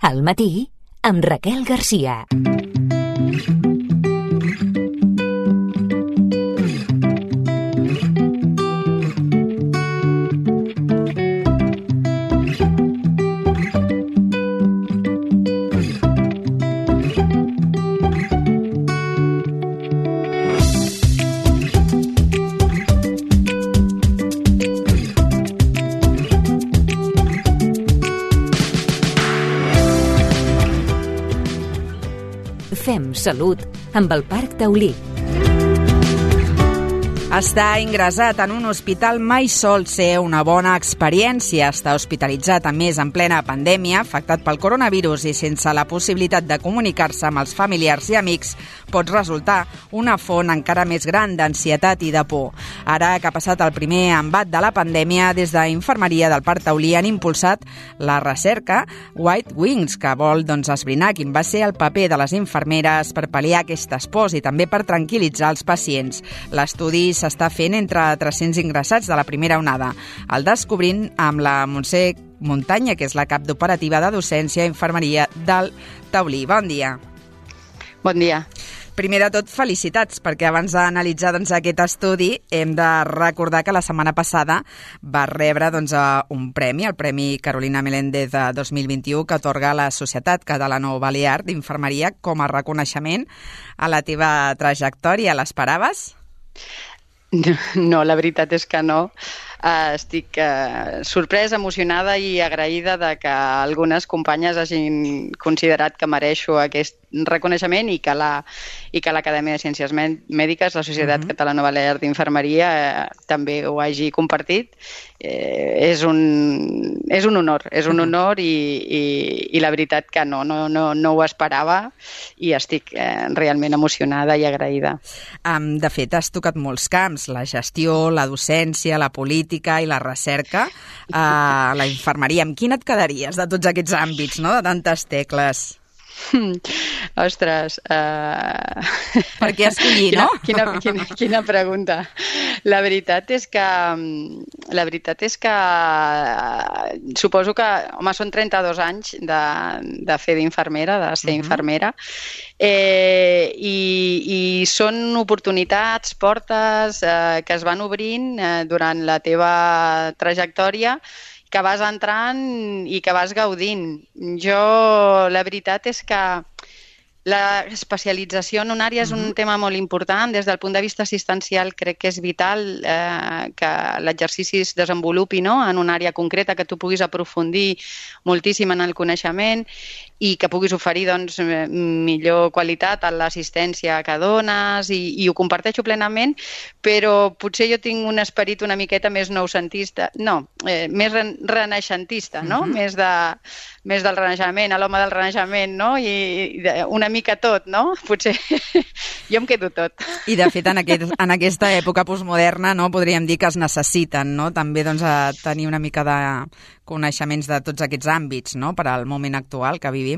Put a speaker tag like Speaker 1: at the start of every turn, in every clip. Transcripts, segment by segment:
Speaker 1: Al matí, amb Raquel Garcia. Fem salut amb el Parc Taulí.
Speaker 2: Estar ingressat en un hospital mai sol ser una bona experiència. Estar hospitalitzat, a més, en plena pandèmia, afectat pel coronavirus i sense la possibilitat de comunicar-se amb els familiars i amics, pot resultar una font encara més gran d'ansietat i de por. Ara que ha passat el primer embat de la pandèmia, des d'Infermeria del Parc Taulí han impulsat la recerca White Wings, que vol esbrinar quin va ser el paper de les infermeres per pal·liar aquestes pors i també per tranquil·litzar els pacients. L'estudi s'està fent entre 300 ingressats de la primera onada. El descobrint amb la Montse Muntanya, que és la cap d'operativa de docència i infermeria del Taulí. Bon dia.
Speaker 3: Bon dia.
Speaker 2: Primer de tot, felicitats, perquè abans d'analitzar aquest estudi hem de recordar que la setmana passada va rebre un premi, el Premi Carolina Meléndez de 2021, que atorga la Societat Catalano-Balear d'Infermeria com a reconeixement a la teva trajectòria. L'esperaves?
Speaker 3: No, la veritat és que no. Estic sorpresa, emocionada i agraïda de que algunes companyes hagin considerat que mereixo aquest reconeixement i que l'Acadèmia de Ciències Mèdiques, la Societat Catalano-Balear d'Infermeria, també ho hagi compartit. És un honor i la veritat que no ho esperava i estic realment emocionada i agraïda.
Speaker 2: De fet, has tocat molts camps, la gestió, la docència, la política i la recerca, la infermeria. Amb quina et quedaries de tots aquests àmbits, no? De tantes tecles?
Speaker 3: Ostres...
Speaker 2: Per què escollir, no?
Speaker 3: Quina pregunta. La veritat és que suposo que, home, són 32 anys de fer d'infermera, de ser infermera, i són oportunitats, portes que es van obrint durant la teva trajectòria, que vas entrant i que vas gaudint. Jo, la veritat és que la especialització en una àrea és un tema molt important. Des del punt de vista assistencial crec que és vital que l'exercici es desenvolupi en una àrea concreta, que tu puguis aprofundir moltíssim en el coneixement i que puguis oferir millor qualitat a l'assistència que dones i ho comparteixo plenament, però potser jo tinc un esperit una miqueta més noucentista, més renaixentista, no? Més del Renaixement, a l'home del Renaixement, no? I una mica tot, no? Potser jo em quedo tot.
Speaker 2: I de fet en aquesta època postmoderna podríem dir que es necessiten també tenir una mica de coneixements de tots aquests àmbits per al moment actual que vivim.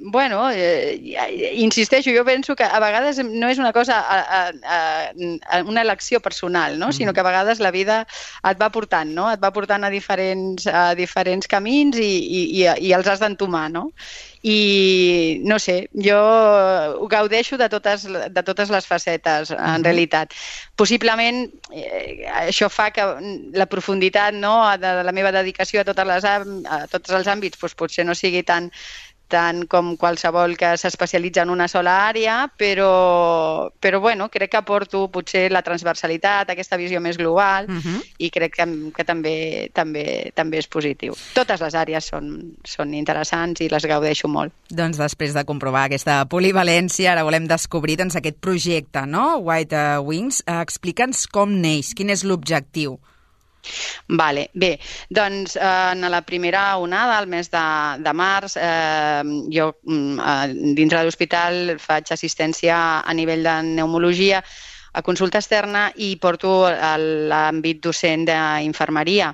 Speaker 3: Bueno, insisteixo, jo penso que a vegades no és una cosa, una elecció personal, no? Sinó que a vegades la vida et va portant, no? Et va portant a diferents camins i els has d'entomar, no? I no sé, jo ho gaudeixo de totes les facetes, en realitat. Possiblement això fa que la profunditat de la meva dedicació a tots els àmbits potser no sigui tant com qualsevol que s'especialitza en una sola àrea, però bueno, crec que aporto potser la transversalitat, aquesta visió més global, i crec que també és positiu. Totes les àrees són interessants i les gaudeixo molt.
Speaker 2: Doncs després de comprovar aquesta polivalència, ara volem descobrir aquest projecte, no? White Wings. Explica'ns com neix, quin és l'objectiu.
Speaker 3: Vale, bé, doncs en la primera onada, al mes de març, jo dintre de l'hospital faig assistència a nivell de pneumologia a consulta externa i porto l'àmbit docent d'infermeria.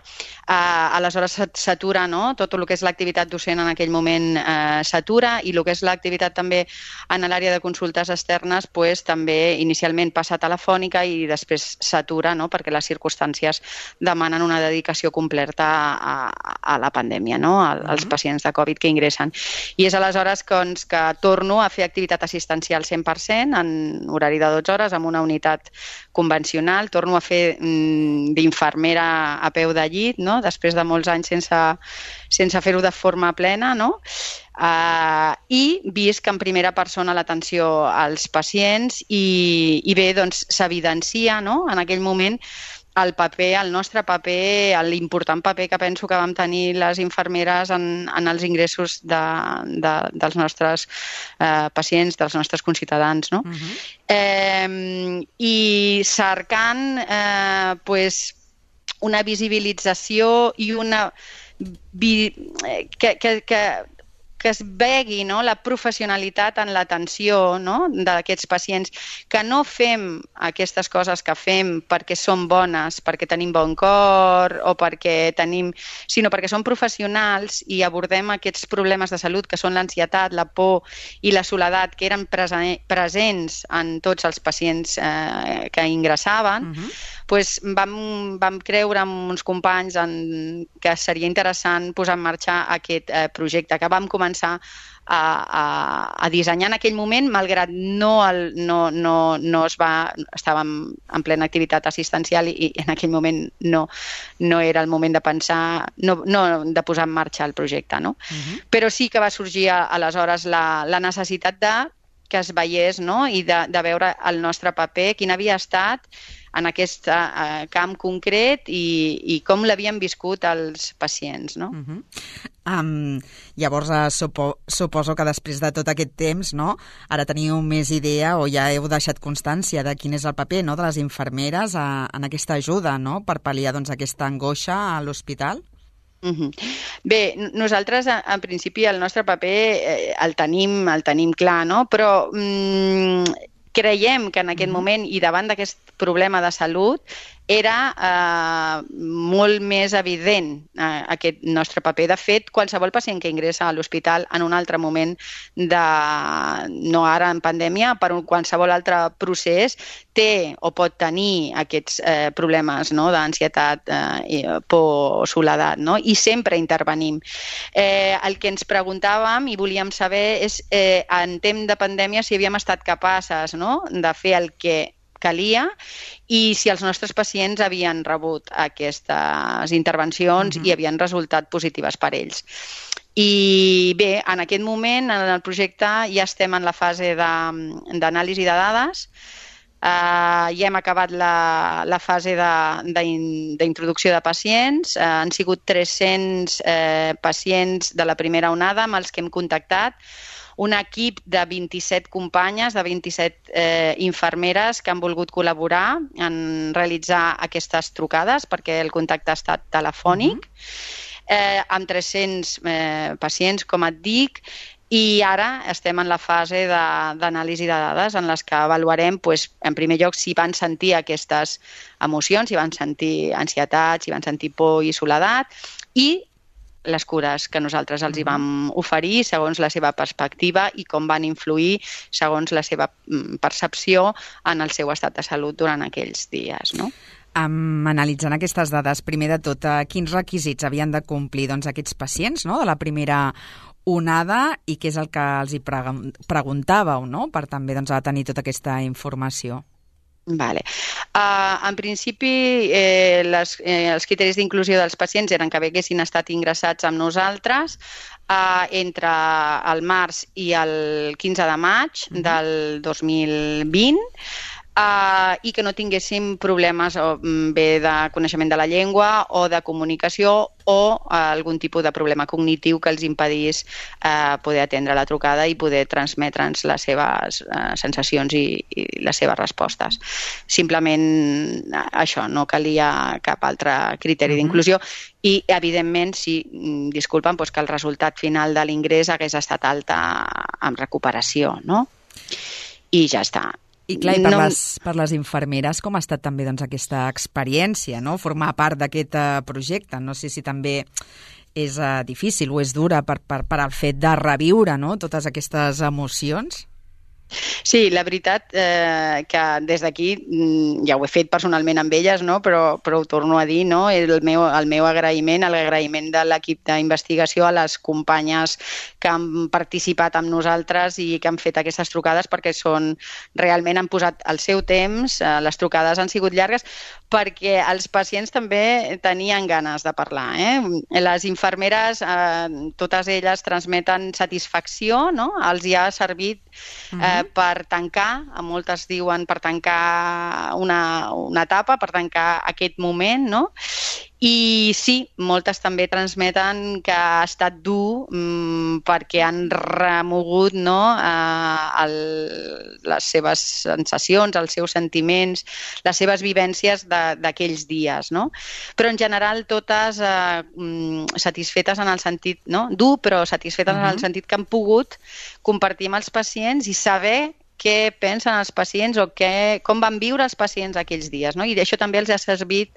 Speaker 3: Aleshores s'atura, no? Tot el que és l'activitat docent en aquell moment s'atura i el que és l'activitat també en l'àrea de consultes externes també inicialment passa telefònica i després s'atura, no? Perquè les circumstàncies demanen una dedicació completa a la pandèmia, no? Als pacients de Covid que ingressen. I és aleshores que torno a fer activitat assistencial 100% en horari de 12 hores amb una unitat convencional, torno a fer d'infermera a peu de llit, no? Després de molts anys sense fer-ho de forma plena, no? I visc en primera persona l'atenció als pacients i bé, doncs s'evidencia, no? En aquell moment el nostre paper, l'important paper que penso que vam tenir les infermeres en els ingressos dels nostres pacients, dels nostres conciutadans, no? I cercant una visibilització i una que es vegi, no? La professionalitat en l'atenció, no? D'aquests pacients, que no fem aquestes coses que fem perquè som bones, perquè tenim bon cor o sinó perquè som professionals i abordem aquests problemes de salut que són l'ansietat, la por i la soledat que eren presents en tots els pacients que ingressaven. Doncs vam creure amb uns companys que seria interessant posar en marxa aquest projecte que vam començar a dissenyar en aquell moment, malgrat estàvem en plena activitat assistencial i en aquell moment no era el moment de pensar, de posar en marxa el projecte, no? Però sí que va sorgir aleshores la necessitat que es veiés, no? I de veure el nostre paper, quin havia estat en aquest camp concret i com l'havien viscut els pacients, no?
Speaker 2: Llavors, suposo que després de tot aquest temps, no, ara teniu més idea o ja heu deixat constància de quin és el paper, no, de les infermeres en aquesta ajuda, no, per pal·liar aquesta angoixa a l'hospital?
Speaker 3: Bé, nosaltres en principi el nostre paper el tenim clar, no? Però creiem que en aquest moment i davant d'aquest problema de salut era molt més evident aquest nostre paper. De fet, qualsevol pacient que ingressa a l'hospital en un altre moment, no ara en pandèmia, per qualsevol altre procés, té o pot tenir aquests problemes, no? D'ansietat, por, soledat, no? I sempre intervenim. El que ens preguntàvem i volíem saber és, en temps de pandèmia, si havíem estat capaces, no? De fer el que calia i si els nostres pacients havien rebut aquestes intervencions i havien resultat positives per ells. I bé, en aquest moment, en el projecte, ja estem en la fase d'anàlisi de dades. Ja hem acabat la fase d'introducció de pacients. Han sigut 300 pacients de la primera onada amb els que hem contactat. Un equip de 27 companyes, de 27 infermeres que han volgut col·laborar en realitzar aquestes trucades perquè el contacte ha estat telefònic, amb 300 pacients, com et dic, i ara estem en la fase d'anàlisi de dades en les que avaluarem, en primer lloc, si van sentir aquestes emocions, si van sentir ansietat, si van sentir por i soledat, i les cures que nosaltres els hi vam oferir segons la seva perspectiva i com van influir segons la seva percepció en el seu estat de salut durant aquells dies, no?
Speaker 2: Analitzant aquestes dades, primer de tot, quins requisits havien de complir aquests pacients, no?, de la primera onada i què és el que els hi preguntàveu, no?, per també tenir tota aquesta informació.
Speaker 3: Vale. En principi, els criteris d'inclusió dels pacients eren que haguessin estat ingressats amb nosaltres entre el març i el 15 de maig del 2020 i que no tinguéssim problemes bé de coneixement de la llengua o de comunicació o algun tipus de problema cognitiu que els impedís poder atendre la trucada i poder transmetre'ns les seves sensacions i les seves respostes. Simplement això, no calia cap altre criteri d'inclusió i, evidentment, disculpen, que el resultat final de l'ingrés hagués estat alta amb recuperació, no? I ja està.
Speaker 2: I clar, per les infermeres, com ha estat també aquesta experiència, no? Formar part d'aquest projecte? No sé si també és difícil o és dura per al fet de reviure, no?, totes aquestes emocions.
Speaker 3: Sí, la veritat que des d'aquí ja ho he fet personalment amb elles, no? Però ho torno a dir, no? El meu agraïment, l'agraïment de l'equip d'investigació a les companyes que han participat amb nosaltres i que han fet aquestes trucades, perquè realment han posat el seu temps, les trucades han sigut llargues, perquè els pacients també tenien ganes de parlar. Les infermeres, totes elles transmeten satisfacció, no? Els hi ha servit per tancar, moltes diuen per tancar una etapa, per tancar aquest moment, no? I sí, moltes també transmeten que ha estat dur perquè han remogut, no, les seves sensacions, els seus sentiments, les seves vivències d'aquells dies, no? Però en general totes satisfetes en el sentit, no? Dur, però satisfetes en el sentit que han pogut compartir amb els pacients i saber què pensen els pacients o com van viure els pacients aquells dies, no? I això també els ha servit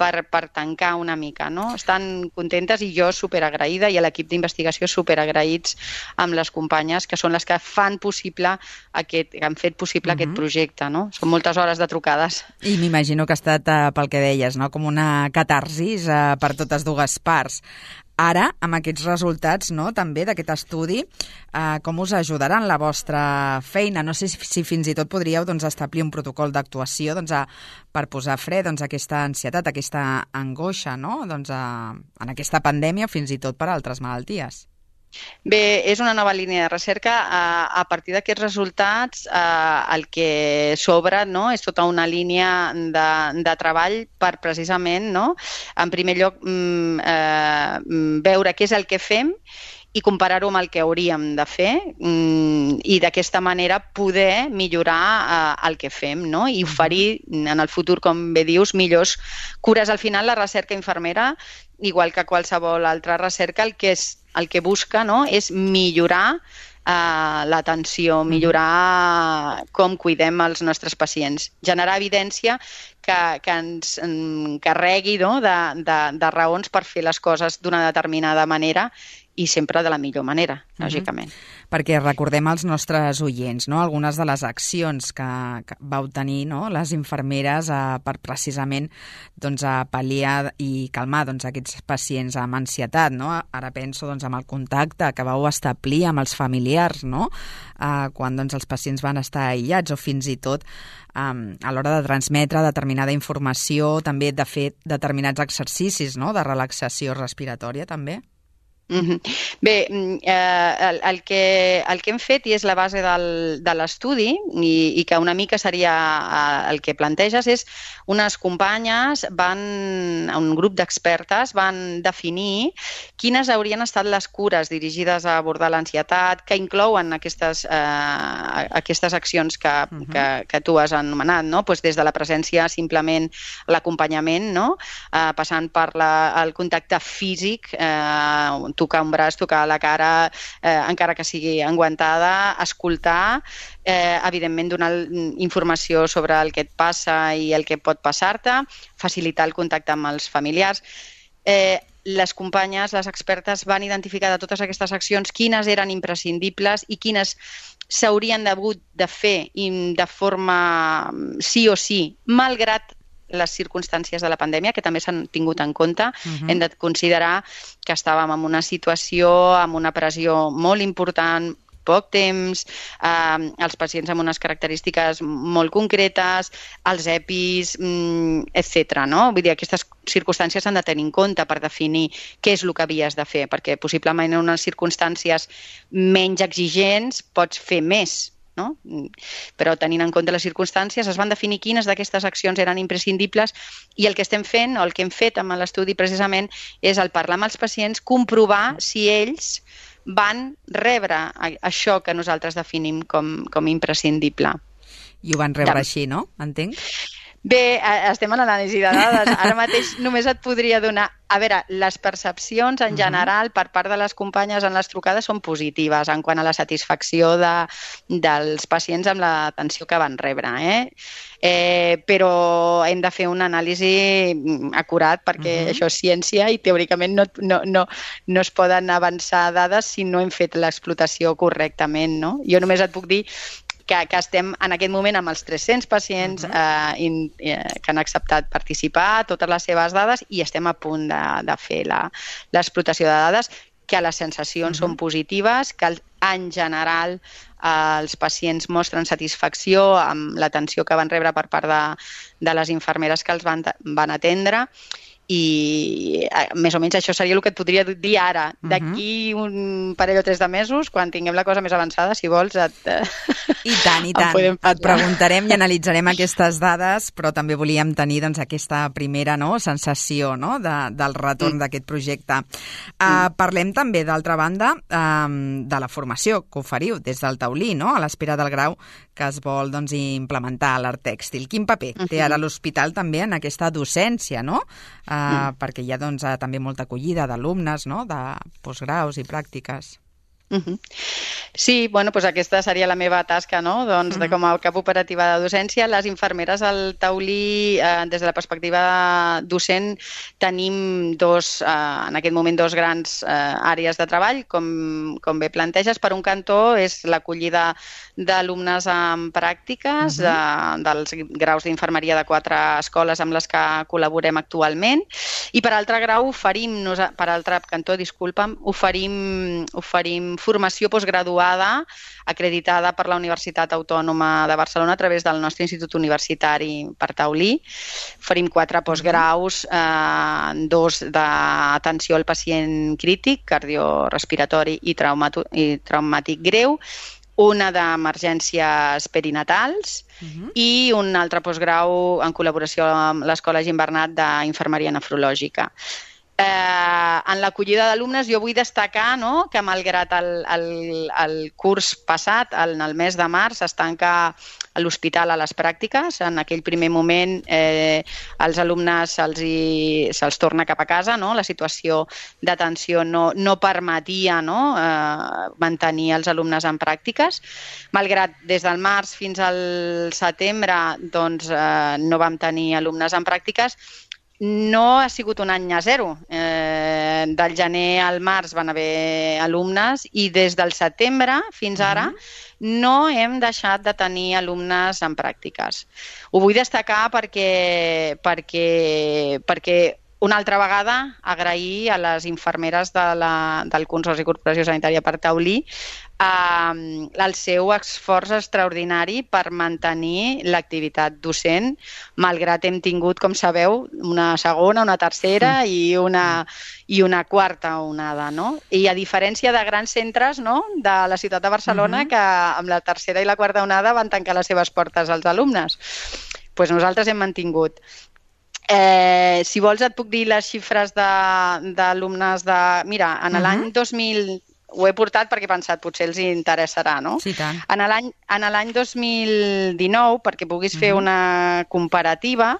Speaker 3: per tancar una mica, no? Estan contentes i jo superagraïda i l'equip d'investigació superagraïts amb les companyes que són les que fan possible que han fet possible aquest projecte, no? Són moltes hores de trucades.
Speaker 2: I m'imagino que ha estat, pel que deies, no?, com una catarsis per totes dues parts. Ara, amb aquests resultats, no?, també d'aquest estudi, com us ajudaran la vostra feina? No sé si fins i tot podríeu establir un protocol d'actuació per posar fre a aquesta ansietat, aquesta angoixa, no?, en aquesta pandèmia, fins i tot per altres malalties.
Speaker 3: Bé, és una nova línia de recerca. A partir d'aquests resultats, el que s'obre, no, és tota una línia de treball per precisament, no, en primer lloc, veure què és el que fem i comparar-ho amb el que hauríem de fer i d'aquesta manera poder millorar el que fem, no? I oferir en el futur, com bé dius, millors cures. Al final, la recerca infermera, igual que qualsevol altra recerca, el que busca, no, és millorar l'atenció, millorar com cuidem els nostres pacients, generar evidència que ens carregui, no, de raons per fer les coses d'una determinada manera i sempre de la millor manera, lògicament.
Speaker 2: Perquè recordem als nostres oients, no?, algunes de les accions que vau tenir, no?, les infermeres per precisament pal·liar i calmar aquests pacients amb ansietat, no? Ara penso en el contacte que vau establir amb els familiars, no?, quan els pacients van estar aïllats, o fins i tot a l'hora de transmetre determinada informació, també de fer determinats exercicis, no?, de relaxació respiratòria també.
Speaker 3: Bé, el que hem fet, i és la base de l'estudi, i que una mica seria el que planteges, és unes companyes, un grup d'expertes, van definir quines haurien estat les cures dirigides a abordar l'ansietat, que inclouen aquestes accions que tu has anomenat, no? Des de la presència, simplement l'acompanyament, no? Passant per el contacte físic, tocar un braç, tocar la cara, encara que sigui enguantada, escoltar, evidentment donar informació sobre el que et passa i el que pot passar-te, facilitar el contacte amb els familiars. Les companyes, les expertes, van identificar de totes aquestes accions quines eren imprescindibles i quines s'haurien hagut de fer de forma sí o sí, malgrat les circumstàncies de la pandèmia, que també s'han tingut en compte. Hem de considerar que estàvem en una situació amb una pressió molt important, poc temps, els pacients amb unes característiques molt concretes, els EPIs, etc. No? Vull dir, aquestes circumstàncies s'han de tenir en compte per definir què és el que havies de fer, perquè possiblement en unes circumstàncies menys exigents pots fer més, no? Però tenint en compte les circumstàncies es van definir quines d'aquestes accions eren imprescindibles i el que estem fent, o el que hem fet amb l'estudi precisament, és el parlar amb els pacients, comprovar si ells van rebre això que nosaltres definim com imprescindible.
Speaker 2: I ho van rebre així, no? Entenc?
Speaker 3: Bé, estem en l'anàlisi de dades. Ara mateix només et podria donar... A veure, les percepcions en general per part de les companyes en les trucades són positives en quant a la satisfacció dels pacients amb l'atenció que van rebre. Però hem de fer una anàlisi acurat perquè això és ciència i teòricament no es poden avançar dades si no hem fet l'explotació correctament. No? Jo només et puc dir que estem en aquest moment amb els 300 pacients que han acceptat participar, totes les seves dades, i estem a punt de fer l'explotació de dades, que les sensacions són positives, que en general els pacients mostren satisfacció amb l'atenció que van rebre per part de les infermeres que els van atendre, i més o menys això seria el que et podria dir ara. D'aquí un parell o 3 de mesos, quan tinguem la cosa més avançada, si vols,
Speaker 2: I tant. Et preguntarem i analitzarem aquestes dades, però també volíem tenir aquesta primera sensació del retorn d'aquest projecte. Parlem també, d'altra banda, de la formació que oferiu des del Taulí, a l'espera del grau que es vol implementar a l'art tèxtil. Quin paper té ara l'hospital també en aquesta docència, perquè hi ha també molta acollida d'alumnes, de postgraus i pràctiques.
Speaker 3: Sí, doncs aquesta seria la meva tasca, com a cap operativa de docència. Les infermeres al Taulí, des de la perspectiva docent, tenim en aquest moment 2 grans àrees de treball, com bé planteges. Per un cantó és l'acollida d'alumnes en pràctiques dels graus d'infermeria de 4 escoles amb les que col·laborem actualment, i per altre cantó, oferim formació postgraduada acreditada per la Universitat Autònoma de Barcelona a través del nostre institut universitari per Taulí. Oferim 4 postgraus, 2 d'atenció al pacient crític, cardiorespiratori i traumàtic greu, una d'emergències perinatals i un altre postgrau en col·laboració amb l'Escola Gimbernat d'Infermeria Nefrològica. En l'acollida d'alumnes jo vull destacar que malgrat el curs passat, en el mes de març, es tanca l'hospital a les pràctiques. En aquell primer moment als alumnes se'ls torna cap a casa, la situació d'atenció no permetia mantenir els alumnes en pràctiques. Malgrat des del març fins al setembre no vam tenir alumnes en pràctiques, no ha sigut un any a zero. Del gener al març van haver alumnes i des del setembre fins ara no hem deixat de tenir alumnes en pràctiques. Ho vull destacar perquè una altra vegada agrair a les infermeres del Consorci Corporació Sanitària per Taulí el seu esforç extraordinari per mantenir l'activitat docent, malgrat hem tingut, com sabeu, una segona, una tercera i una quarta onada. I a diferència de grans centres de la ciutat de Barcelona, que amb la tercera i la quarta onada van tancar les seves portes als alumnes, doncs nosaltres hem mantingut. Si vols et puc dir les xifres d'alumnes de... Mira, en l'any 2000... Ho he portat perquè he pensat, potser els interessarà, no?
Speaker 2: Sí, tant.
Speaker 3: En l'any 2019, perquè puguis fer una comparativa,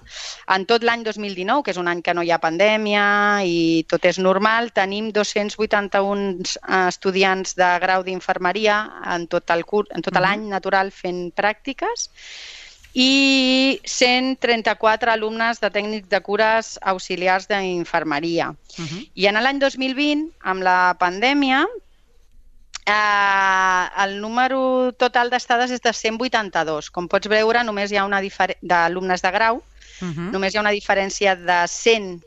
Speaker 3: en tot l'any 2019, que és un any que no hi ha pandèmia i tot és normal, tenim 281 estudiants de grau d'infermeria en tot l'any natural fent pràctiques, i 134 alumnes de tècnics de cures auxiliars d'infermeria. I en l'any 2020, amb la pandèmia, el número total d'estades és de 182. Com pots veure, només hi ha d'alumnes de grau, només hi ha una diferència de 100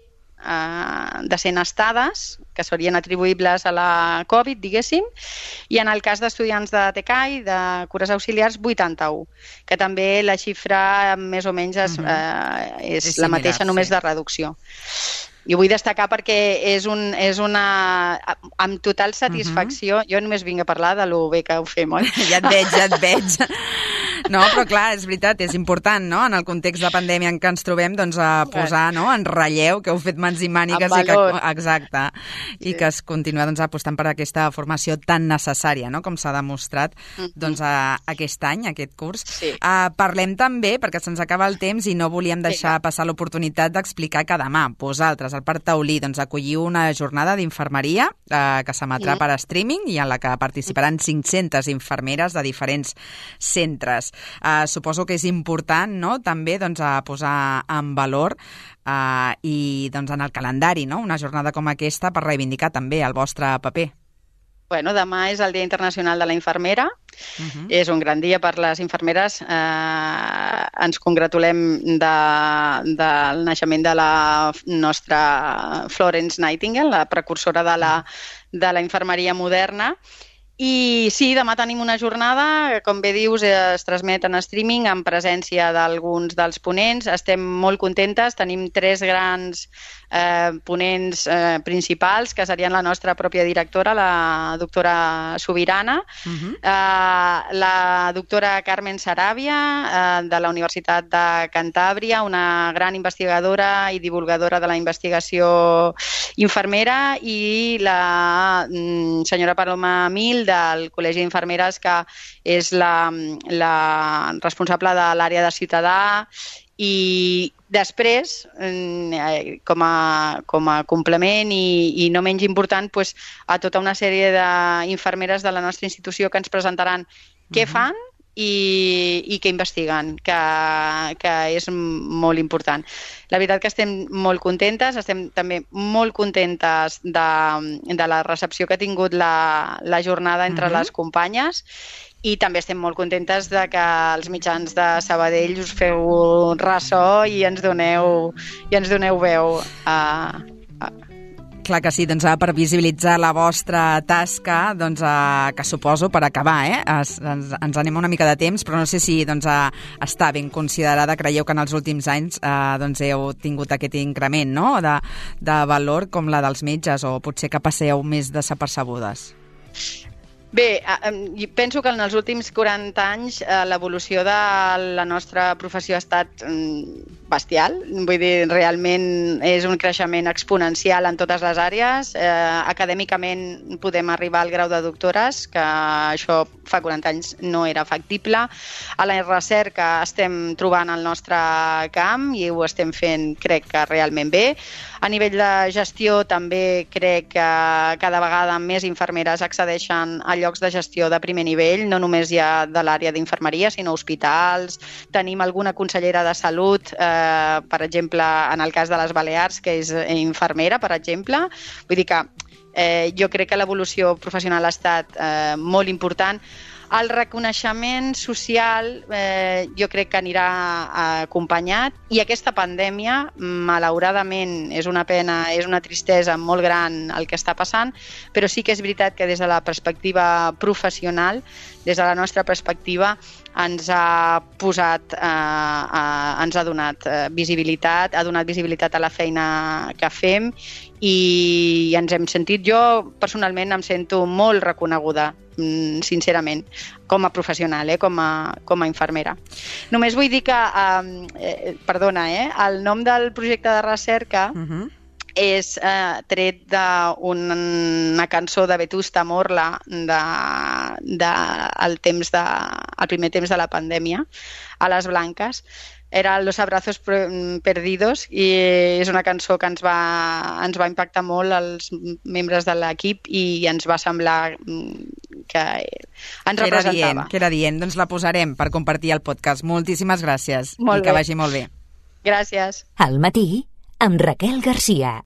Speaker 3: estades que serien atribuïbles a la Covid, diguéssim, i en el cas d'estudiants de TCAI, de cures auxiliars, 81, que també la xifra més o menys és la mateixa, només de reducció. I ho vull destacar perquè és una... amb total satisfacció, jo només vinc a parlar de lo bé que ho fem, oi?
Speaker 2: Ja et veig. No, però clar, és veritat, és important, no?, en el context de pandèmia en què ens trobem, doncs a posar, no?, en relleu que heu fet mans i mànigues i que, exacte, i que es continua doncs apostant per aquesta formació tan necessària, no?, com s'ha demostrat doncs aquest any, aquest curs. Parlem també, perquè se'ns acaba el temps i no volíem deixar passar l'oportunitat d'explicar que demà vosaltres, al Parc Taulí, doncs acolliu una jornada d'infermeria que s'emetrà per streaming i en la que participaran 500 infermeres de diferents centres. Suposo que és important, no?, també doncs, a posar en valor i doncs, en el calendari, no?, una jornada com aquesta per reivindicar també el vostre paper.
Speaker 3: Bueno, demà és el Dia Internacional de la Infermera. És un gran dia per les infermeres. Ens congratulem del naixement de la nostra Florence Nightingale, la precursora de la infermeria moderna. I sí, demà tenim una jornada, com bé dius, es transmet en streaming en presència d'alguns dels ponents. Estem molt contentes, tenim 3 grans ponents principals, que serien la nostra pròpia directora, la doctora Subirana, la doctora Carmen Saràbia, de la Universitat de Cantàbria, una gran investigadora i divulgadora de la investigació infermera, i la senyora Paloma Mil, del Col·legi d'Infermeres, que és la responsable de l'àrea de ciutadà. I després, com a complement i no menys important, a tota una sèrie d'infermeres de la nostra institució que ens presentaran què fan i què investiguen, que és molt important. La veritat que estem molt contentes, estem també molt contentes de la recepció que ha tingut la jornada entre les companyes, i també estem molt contentes de que els mitjans de Sabadell us feu ressò i ens doneu veu
Speaker 2: Clar que sí, doncs per visibilitzar la vostra tasca, doncs que suposo, per acabar, ens anem una mica de temps, però no sé si doncs, està ben considerada. Creieu que en els últims anys doncs, heu tingut aquest increment, no?, de valor com la dels metges, o potser que passeu més desapercebudes?
Speaker 3: Bé, penso que en els últims 40 anys l'evolució de la nostra professió ha estat bestial. Vull dir, realment és un creixement exponencial en totes les àrees. Acadèmicament podem arribar al grau de doctores, que això fa 40 anys no era factible. A la recerca estem trobant el nostre camp i ho estem fent, crec que realment bé. A nivell de gestió també crec que cada vegada més infermeres accedeixen a llocs de gestió de primer nivell, no només ja de l'àrea d'infermeria, sinó hospitals. Tenim alguna consellera de salut, per exemple, en el cas de les Balears, que és infermera, per exemple. Vull dir que jo crec que l'evolució professional ha estat molt important. El reconeixement social jo crec que anirà acompanyat, i aquesta pandèmia, malauradament, és una pena, és una tristesa molt gran el que està passant, però sí que és veritat que des de la perspectiva professional, des de la nostra perspectiva, ens ha donat visibilitat, ha donat visibilitat a la feina que fem, i ens hem sentit, jo personalment em sento molt reconeguda, sincerament, com a professional, com a infermera. Només vull dir que, el nom del projecte de recerca és tret d'una cançó de Vetusta Morla del primer temps de la pandèmia, a les Blanques. Era Los abrazos perdidos, i és una cançó que ens va impactar molt als membres de l'equip i ens va semblar que ens representava.
Speaker 2: Que era dient. Doncs la posarem per compartir el podcast. Moltíssimes gràcies i que vagi molt bé.
Speaker 3: Gràcies.
Speaker 1: Al matí, amb Raquel Garcia.